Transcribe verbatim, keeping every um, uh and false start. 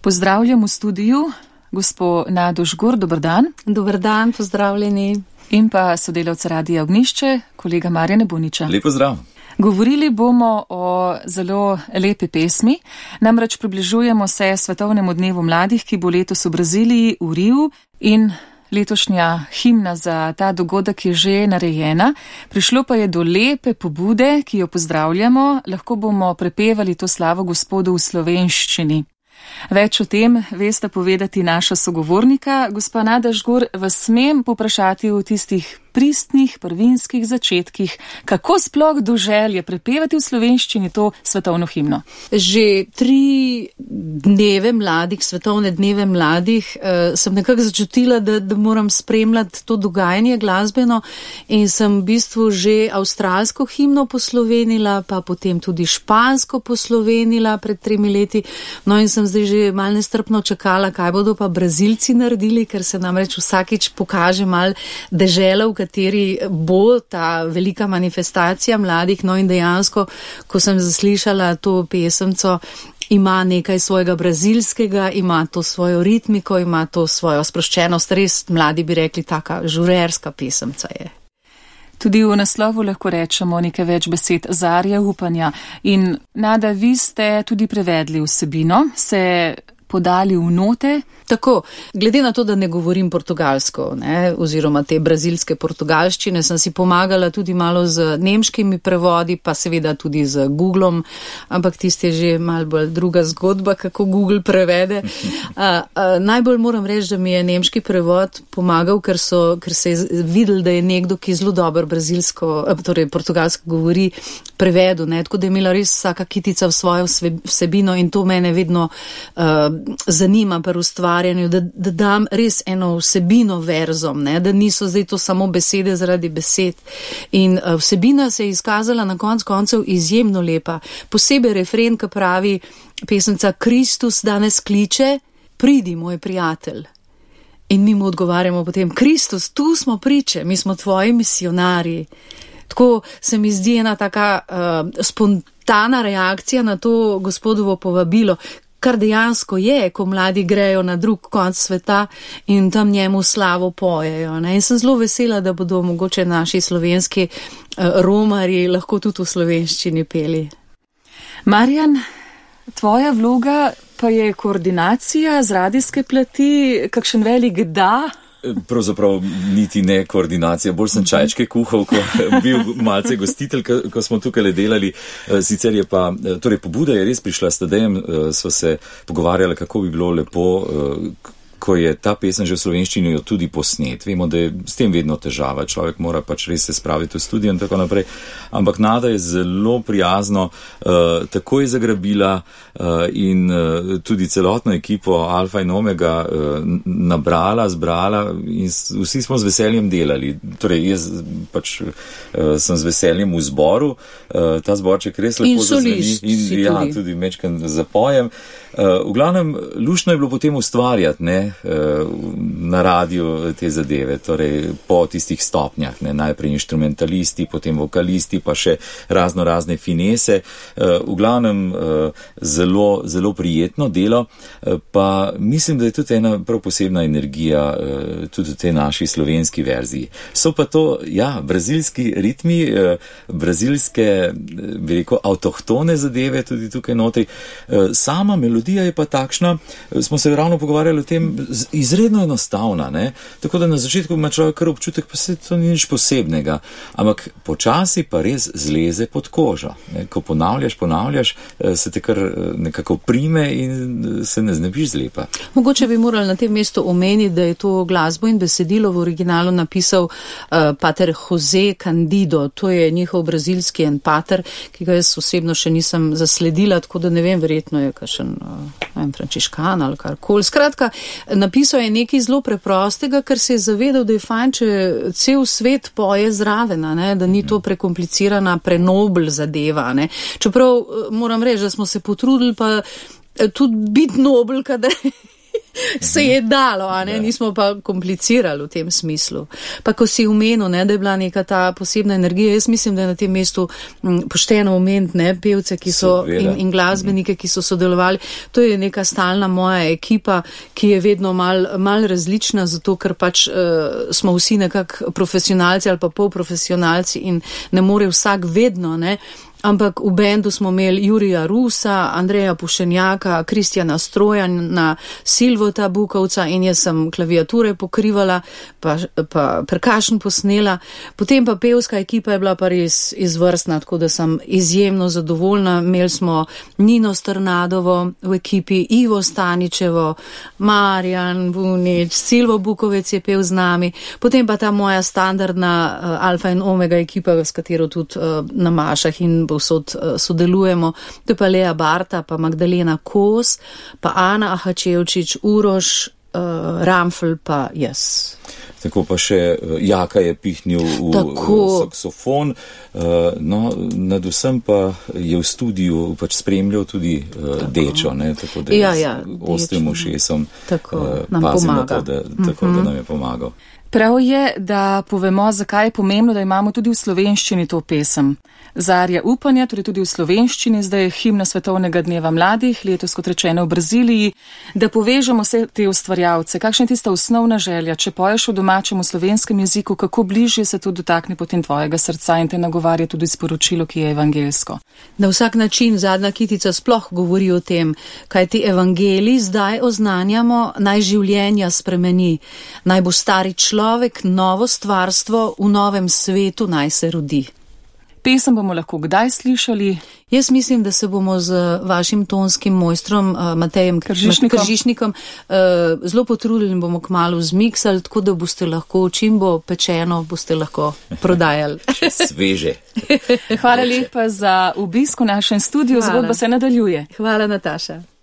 Pozdravljam v studiu gospo Nado Žgur, dober dan. Dober dan, pozdravljeni. In pa sodelavca Radia Ognjišče, kolega Marjana Buniča. Lep pozdrav. Govorili bomo o zelo lepi pesmi, namreč približujemo se Svetovnemu dnevu mladih, ki bo letos v Braziliji, v Riu, in letošnja himna za ta dogodek je že narejena. Prišlo pa je do lepe pobude, ki jo pozdravljamo, lahko bomo prepevali to slavo Gospodu v slovenščini. Več o tem veste povedati naša sogovornika. Gospa Nada Žgur, vas smem poprašati v tistih pristnih, prvinskih začetkih, kako sploh do želje prepevati v slovenščini to svetovno himno? Že tri dneve mladih, svetovne dneve mladih, eh, sem nekako začutila, da, da moram spremljati to dogajanje glasbeno in sem v bistvu že avstralsko himno poslovenila, pa potem tudi špansko poslovenila pred tremi leti. No in sem zdaj že malo nestrpno čakala, kaj bodo pa Brazilci naredili, ker se namreč vsakič pokaže malo dežela, v kateri bo ta velika manifestacija mladih. No in dejansko, ko sem zaslišala to pesemco, ima nekaj svojega brazilskega, ima to svojo ritmiko, ima to svojo sproščenost, res mladi bi rekli, taka žurerska pesemca je. Tudi v naslovu lahko rečemo nekaj več besed zarja upanja. In Nada, vi ste tudi prevedli vsebino, se podali v note. Tako, glede na to, da ne govorim portugalsko, ne, oziroma te brazilske portugalščine, sem si pomagala tudi malo z nemškimi prevodi, pa seveda tudi z Googlom, ampak tisti je že malo bolj druga zgodba, kako Google prevede. A, a, najbolj moram reči, da mi je nemški prevod pomagal, ker, so, ker se je videl, da je nekdo, ki zelo dobro brazilsko, torej portugalsko govori, prevedu, ne, tako da je imela res vsaka kitica v svojo vsebino in to mene vedno uh, zanima pri ustvarjanju, da, da dam res eno vsebino verzom, ne, da niso zdaj to samo besede zaradi besed. In uh, vsebina se je izkazala na konc koncev izjemno lepa. Posebej refren, ki pravi pesemca: Kristus danes kliče, pridi, moj prijatelj. In mi mu odgovarjamo potem: Kristus, tu smo priče, mi smo tvoji misionarji. Tako se mi zdi ena taka uh, spontana reakcija na to Gospodovo povabilo, kar dejansko je, ko mladi grejo na drug konc sveta in tam njemu slavo pojejo. Ne? In sem zelo vesela, da bodo mogoče naši slovenski uh, romarji lahko tudi v slovenščini peli. Marjan, tvoja vloga pa je koordinacija z radijske plati, kakšen velik da? Pravzaprav niti ne koordinacija, bolj sem čajčke kuhal, ko bil malce gostitelj, ko smo tukaj delali. Sicer je pa, torej pobuda je res prišla s Tadejem, sva se pogovarjala, kako bi bilo lepo, ko je ta pesem že v slovenščini jo tudi posnet. Vemo, da je s tem vedno težava, človek mora pač res se spraviti v studio in tako naprej. Ampak Nada je zelo prijazno uh, takoj zagrabila uh, in uh, tudi celotno ekipo Alfa in Omega uh, nabrala, zbrala in vsi smo z veseljem delali. Torej, jaz pač uh, sem z veseljem v zboru, uh, ta zborček res lepo zazveni in ja, tudi, tudi mečkan zapojem. Uh, v glavnem, luštno je bilo potem ustvarjati, ne, uh, na radiju te zadeve, torej po tistih stopnjah, ne, najprej inštrumentalisti, potem vokalisti, pa še razno razne finese. Uh, v glavnem, uh, zelo, zelo prijetno delo, uh, pa mislim, da je tudi ena prav posebna energija, uh, tudi v tej naši slovenski verziji. So pa to, ja, brazilski ritmi, uh, brazilske, bi rekel, avtohtone zadeve tudi tukaj notri. Uh, sama melodija je pa takšna, smo se ravno pogovarjali o tem, izredno enostavna, ne? Tako da na začetku ima človek kar občutek, pa se to ni nič posebnega, ampak počasi pa res zleze pod kožo. Ne? Ko ponavljaš, ponavljaš, se te kar nekako prime in se ne znebiš zlepa. Mogoče bi morali na tem mestu omeniti, da je to glasbo in besedilo v originalu napisal uh, pater Jose Candido, to je njihov brazilski en pater, ki ga jaz osebno še nisem zasledila, tako da ne vem, verjetno je kakšen vem, frančiškan ali karkoli. Skratka, napisal je nekaj zelo preprostega, ker se je zavedal, da je fajn, če cel svet poje zraven, ne? Da ni to prekomplicirana, prenobl zadeva. Ne? Čeprav moram reči, da smo se potrudili pa tudi biti nobel, kadar se je dalo, a ne, nismo pa komplicirali v tem smislu. Pa ko si umenil, ne, da je bila neka ta posebna energija, jaz mislim, da je na tem mestu m, pošteno omeniti, ne, pevce, ki so in, in glasbenike, ki so sodelovali. To je neka stalna moja ekipa, ki je vedno mal, mal različna, zato ker pač uh, smo vsi nekako profesionalci ali pa polprofesionalci in ne more vsak vedno, ne. Ampak v bendu smo imeli Jurija Rusa, Andreja Pušenjaka, Kristjana Strojana, Silvota Bukovca in jaz sem klaviature pokrivala, pa, pa perkašen posnela. Potem pa pevska ekipa je bila pa res izvrstna, tako da sem izjemno zadovoljna. Imeli smo Nino Strnadovo v ekipi, Ivo Staničevo, Marjan Vunič, Silvo Bukovec je pel z nami. Potem pa ta moja standardna uh, alfa in omega ekipa, s katero tudi uh, na mašah in vsod sodelujemo, to je pa Lea Barta, pa Magdalena Kos, pa Ana Ahačevčič, Uroš, uh, Ramfl, pa jaz. Tako pa še Jaka je pihnil v Tako. saksofon, uh, no, nad vsem pa je v studiu pač spremljal tudi uh, Dečo, ne, tako da ja, ja, ostrim ušesom uh, pazim na to, da, tako, mm-hmm. da nam je pomagal. Prav je, da povemo, zakaj je pomembno, da imamo tudi v slovenščini to pesem. Zarja upanja, torej tudi v slovenščini, zdaj je himna Svetovnega dneva mladih, letos kot rečeno v Braziliji, da povežemo vse te ustvarjalce. Kakšna je tista osnovna želja, če poješ v domačem v slovenskem jeziku, kako bližje se to dotakne potem tvojega srca in te nagovarja tudi sporočilo, ki je evangelsko? Na vsak način Zadnja kitica sploh govori o tem, kaj ti evangeliji zdaj oznanjamo, naj življenja spremeni, naj bo stari človek, novo stvarstvo v novem svetu naj se rodi. Pesem bomo lahko kdaj slišali? Jaz mislim, da se bomo z vašim tonskim mojstrom uh, Matejem Kržišnikom, Kržišnikom uh, zelo potrudili in bomo kmalu zmiksali, tako da boste lahko, čim bo pečeno, boste lahko prodajali. Sveže. Hvala lepa za obisk v našem studiu, zgodba se nadaljuje. Hvala, Nataša.